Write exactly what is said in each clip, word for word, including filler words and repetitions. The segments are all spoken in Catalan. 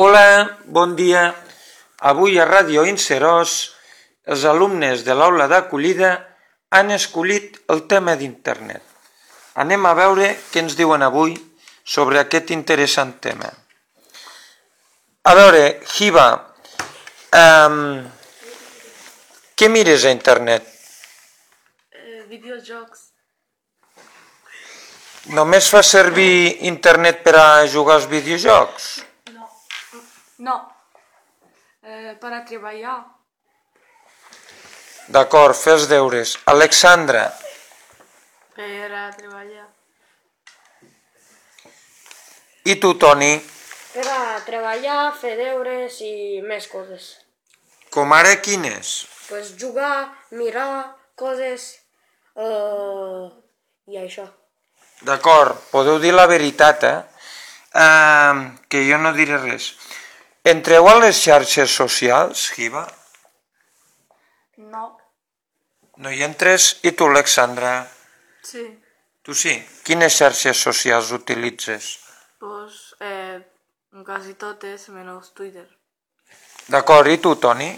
Hola, bon dia. Avui a Ràdio Inserós els alumnes de l'aula d'acollida han escollit el tema d'internet. Anem a veure què ens diuen avui sobre aquest interessant tema. A veure, Hiba, um, què mires a internet? Eh, videojocs. Només fa servir internet per a jugar als videojocs? No. No. Eh, per a treballar. D'acord, fer els deures. Alexandra. Per a treballar. I tu, Toni? Per a treballar, fer deures i més coses. Com ara quines? Pues jugar, mirar coses uh, i això. D'acord, podeu dir la veritat, eh? Uh, que jo no diré res. Entreu a les xarxes socials, Hiba? No. No hi entres? I tu, Alexandra? Sí. Tu sí? Quines xarxes socials utilitzes? Pues eh, quasi totes menys Twitter. D'acord, i tu, Toni?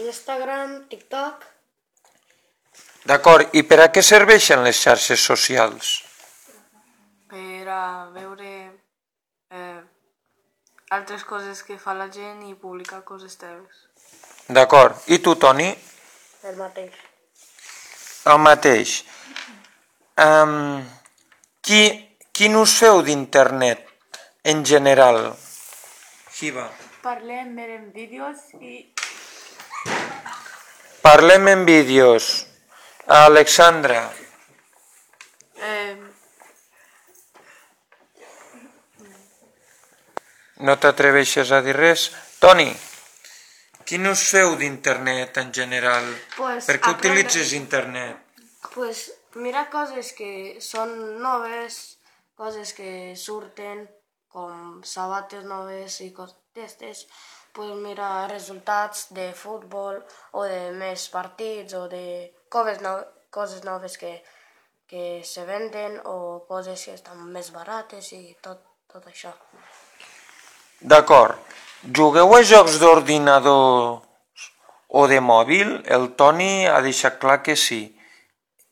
Instagram, TikTok. D'acord, i per a què serveixen les xarxes socials? Per a veure eh, altres coses que fa la gent i publicar coses teves. D'acord, i tu, Toni? El mateix. El mateix. Um, qui, quin ús feu d'internet en general? Hiba. Parlem, mirem vídeos i... Parlem en vídeos. Alexandra. Eh, No t'atreveixes a dir res? Toni, quin ús feu d'internet en general? Pues Per què aprendre- utilitzes internet? Pues mira coses que són noves, coses que surten, com sabates noves i coses d'estes. Pues mira resultats de futbol o de més partits o de coses, no, coses noves que, que se venden o coses que estan més barates i tot, tot això. D'acord. Jugueu a jocs d'ordinador o de mòbil? El Toni ha deixat clar que sí.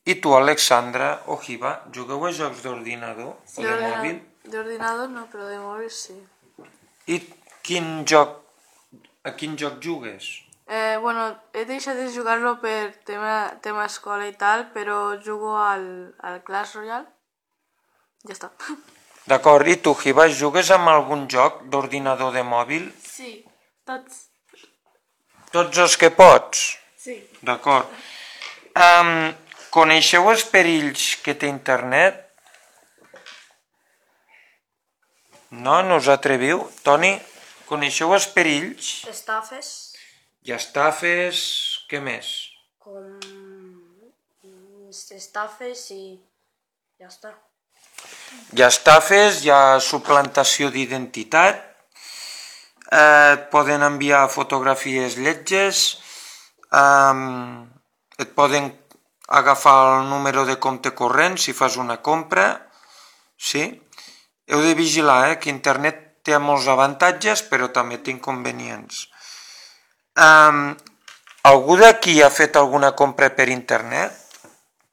I tu, Alexandra o Hiba, jugueu a jocs d'ordinador o de mòbil? D'ordinador no, però de mòbil sí. I quin joc, a quin joc jugues? Eh, bueno, he deixat de jugar-lo per tema, tema escola i tal, però jugo al, al Clash Royale. Ja està. D'acord, i tu, Hiba, jugues amb algun joc d'ordinador de mòbil? Sí, tots. Tots els que pots? Sí. D'acord. Um, coneixeu els perills que té internet? No? No us atreviu? Toni, coneixeu els perills? Estafes, I estafes... Què més? com estafes i ja està. Hi ha estafes, hi ha suplantació d'identitat, eh, et poden enviar fotografies lletges, eh, et poden agafar el número de compte corrent si fas una compra, sí? Heu de vigilar, eh, que internet té molts avantatges, però també té inconvenients. Eh, algú d'aquí ha fet alguna compra per internet?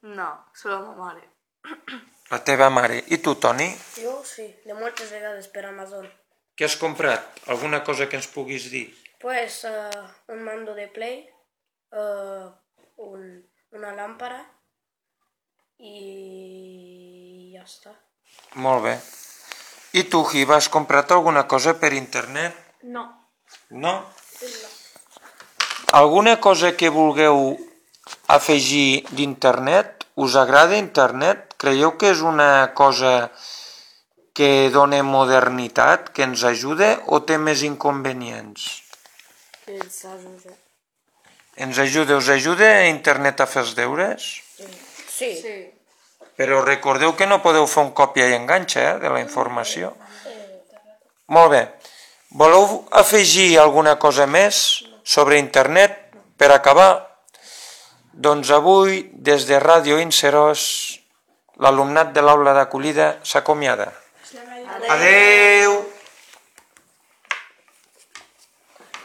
No, solo ma mare. La teva mare. I tu, Toni? Jo sí, de moltes vegades per Amazon. Què has comprat? Alguna cosa que ens puguis dir? Pues uh, un mando de Play, uh, un, una lámpara i ja està. Molt bé. I tu, Hiba, has comprat alguna cosa per internet? No. No? Alguna cosa que vulgueu afegir d'internet? Us agrada internet? Creieu que és una cosa que dona modernitat, que ens ajuda o té més inconvenients? Ens ajuda. Ens ajuda, us ajuda internet a fer els deures? Sí. Sí. Però recordeu que no podeu fer un còpia i enganxa, eh, de la informació. Molt bé. Voleu afegir alguna cosa més sobre internet per acabar? Doncs avui, des de Ràdio Inserós, l'alumnat de l'aula d'acollida s'acomiada. Adéu!